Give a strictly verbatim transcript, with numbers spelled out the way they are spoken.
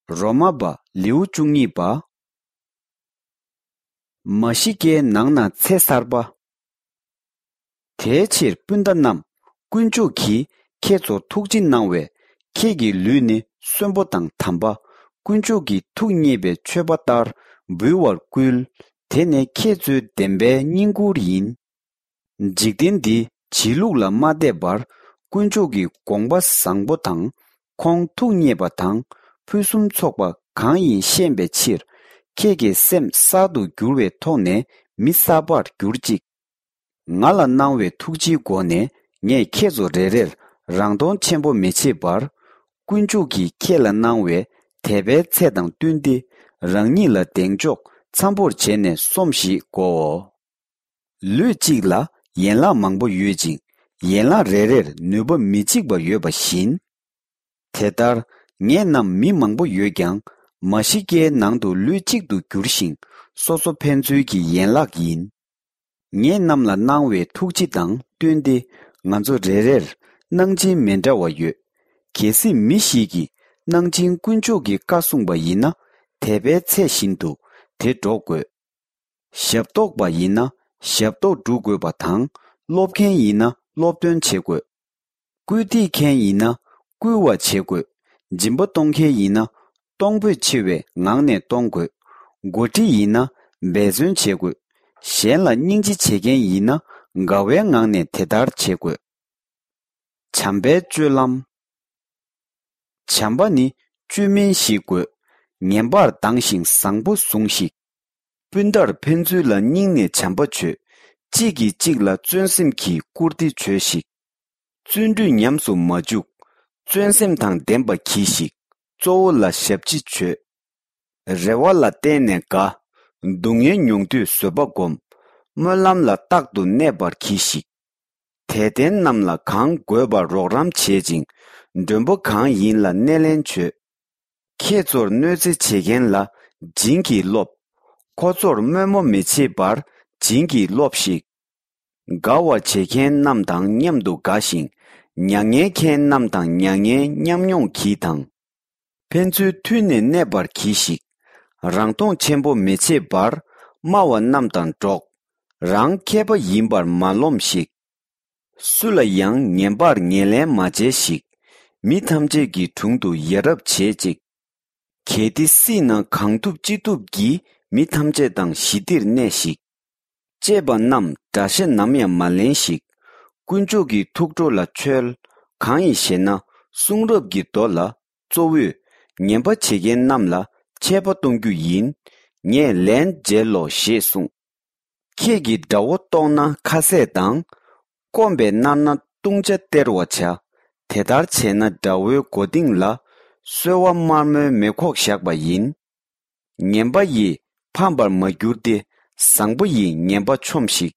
རོ་མ་པ་ལེའུ་བཅུ་གཉིས་པ། མ་ཤི་ཀའི་ནང་ན་ཚེ་གསར་པ། དེའི་ཕྱིར་སྤུན་ཟླ་རྣམས། དཀོན་མཆོག་གིས་ཁྱེད་ཚོར་ཐུགས་རྗེ་གནང་བས། ཁྱེད་ཀྱི་ལུས་ནི་གསོན་པོ་དང་དམ་པ། དཀོན་མཆོག་གིས་ཐུགས་མཉེས་པའི་མཆོད་པ་ལྟར་འབུལ་བར་བསྐུལ། དེ་ནི་ཁྱེད་ཚོའི་བདེན་པའི་བསྙེན་བཀུར་ཡིན། འཇིག་རྟེན་འདིའི་བྱེད་ལུགས་ལ་མ་བལྟས་པར། དཀོན་མཆོག་གི་དགོངས་པ་བཟང་པོ་དང་། ཁོང་ཐུགས་མཉེས་པ་དང་། ཕུན་སུམ་ཚོགས་པ་གང་ཡིན་ཤེས་པའི་ཕྱིར། ཁྱེད་ཀྱི་སེམས་གསར་དུ་འགྱུར་བའི་ཐོག་ནས་མི་གསར་པར་གྱུར་ཅིག། ང་ལ་གནང་བའི་ཐུགས་རྗེའི་སྒོ་ནས་ངས་ཁྱེད་ཚོ་རེ་རེར་རང་མཐོང་ཆེན་པོ་མི་བྱེད་པར། དཀོན་མཆོག་གིས་ཁྱེད་ལ་གནང་བའི་དད་པའི་ཚད་དང་བསྟུན་ཏེ། རང་ཉིད་ལ་གདེང་འཇོག་འཚམ་པོར་བྱས་ནས་སོམས་ཤིག་གོ། ལུས་གཅིག་ལ་ཡན་ལག་མང་པོ་ཡོད་ཅིང་། ཡན་ལག་རེ་རེར་ནུས་པ་མི་གཅིག་པ་ཡོད་པ་བཞིན། དེ་ལྟར་ངེད་རྣམས་མི་མང་པོ་ཡོད་ཀྱང་། མ་ཤི་ཀའི་ནང་དུ་ལུས་གཅིག་ཏུ་གྱུར་ཞིང་། སོ་སོ་ཕན་ཚུན་གྱི་ཡན་ལག་ཡིན། ངེད་རྣམས་ལ་གནང་བའི་ཐུགས་རྗེ་དང་བསྟུན་ཏེ། ང་ཚོ་རེ་རེར་གནང་སྦྱིན་མི་འདྲ་བ་ཡོད། གལ་སྲིད་མི་ཞིག་གིས་གནང་སྦྱིན་དཀོན་མཆོག་གི་བཀའ་བསྲུངས་པ་ཡིན་ན། དད་པའི་ཚད་བཞིན་དུ་དེ་སྒྲོག་དགོས། ཞབས་ཏོག་པ་ཡིན་ན་ཞབས་ཏོག་སྒྲུབ་དགོས་པ་དང་། སློབ་མཁན་ཡིན་ན་སློབ་སྟོན་བྱེད་དགོས། སྐུལ་འདེད་མཁན་ཡིན་ན་སྐུལ་བ་བྱེད་དགོས། སྦྱིན་པ་གཏོང་མཁན་ཡིན་ན་གཏོང་ཕོད་ཆེ་བའི་ངང་ནས་གཏོང་དགོས། འགོ་ཁྲིད་ཡིན་ན་འབད་བརྩོན་བྱེད་དགོས། གཞན་ལ་སྙིང་རྗེ་བྱེད་མཁན་ཡིན་ན་དགའ་བའི་ངང་ནས་དེ་ལྟར་བྱེད་དགོས། བྱམས་པའི་སྤྱོད་ལམ། བྱམས་པ་ནི་བཅོས་མིན་ཞིག་དགོས། ངན་པར་སྡང་ཞིང་བཟང་པོ་ཟུངས་ཤིག། སྤུན་ཟླར་ཕན་ཚུན་ལ་སྙིང་ནས་བྱམས་པ་བྱོས། གཅིག་གིས་གཅིག་ལ་བརྩོན་སེམས་ཀྱིས་བཀུར་སྟི་བྱོས་ཤིག། བརྩོན་འགྲུས་ཉམས་སུ་མ་འཇུག། བརྩོན་སེམས་དང་ལྡན་པ་གྱིས་ཤིག། གཙོ་བོ་ལ་ཞབས་ཕྱི་བྱོས། རེ་བ་ལ་བརྟེན་ནས་དགའ། སྡུག་བསྔལ་མྱོང་དུས་བཟོད་པ་སྒོམ། སྨོན་ལམ་ལ་རྟག་ཏུ་གནས་པར་གྱིས་ཤིག། དད་ལྡན་རྣམས་ལ་གང་དགོས་པར་རོགས་རམ་བྱེད་ཅིང་། མགྲོན་པོ་གང་ཡིན་ལ་སྣེ་ལེན་བྱོས། ཁྱེད་ཚོར་གནོད་འཚེ་བྱེད་མཁན་ལ་བྱིན་གྱིས་རློབས། ཁོ་ཚོར་དམོད་མོ་མི་བྱེད་པར་བྱིན་གྱིས་རློབས་ཤིག། དགའ་བར་བྱེད་མཁན་རྣམས་དང་མཉམ་དུ་དགའ་ཞིང་། མྱ་ངན་མཁན་རྣམས་དང་མྱ་ངན་མཉམ་མྱོང་གྱིས་དང་། ཕན་ཚུན་མཐུན་ནས་གནས་པར་གྱིས་ཤིག། རང་མཐོང་ཆེན་པོ་མི་བྱེད་པར། དམའ་བ་རྣམས་དང་འགྲོགས། རང་མཁས་པ་ཡིན་པར་མ་རློམ་ཞིག། སུ་ལ་ཡང་ངན་པར་ངན་ལན་མ་འཇལ་ཞིག། མི་ཐམས་ཅད་ཀྱི་དྲུང་དུ་ཡ་རབས་བྱེད་ཅིག། གལ་ཏེ་སྲིད་ན་གང་ཐུབ་ཅི་ཐུབ་ཀྱིས་མི་ཐམས་ཅད་དང་ཞི་བདེར་གནས་ཤིག། གཅེས་པ་རྣམས་དགྲ་ཤ་ནམ་ཡང་མ་ལེན་ཞིག། དཀོན་མཆོག་གི་ཐུགས་ཁྲོ་ལ་འཆོལ། གང་ཡིན་ཞེ་ན། གསུང་རབ་ཀྱི་མདོ་ལ། གཙོ་བོས་ངན་པ་བྱེད་མཁན་རྣམས་ལ་ཆད་པ་གཏོང་རྒྱུ་ཡིན། ངས་ལན་འཇལ་ལོ་ཞེས་གསུངས། ཁྱེད་ཀྱིས་དགྲ་བོ་བཏོག་ན་ཁ་ཟས་དང་། སྐོམ་པས་མནར་ན་བཏུང་བྱ་སྟེར་བར་བྱ། དེ་ལྟར་བྱས་ན་དགྲ་བོའི་མགོ་རྟིང་ལ། སོལ་བ་དམར་མོའི་མེ་ཁོག་བཞག་པ་ཡིན། ངན་པ་ཡིས་ཕམ་པར་མ་གྱུར་ཏེ། བཟང་པོ་ཡིས་ངན་པ་ཆོམས་ཤིག།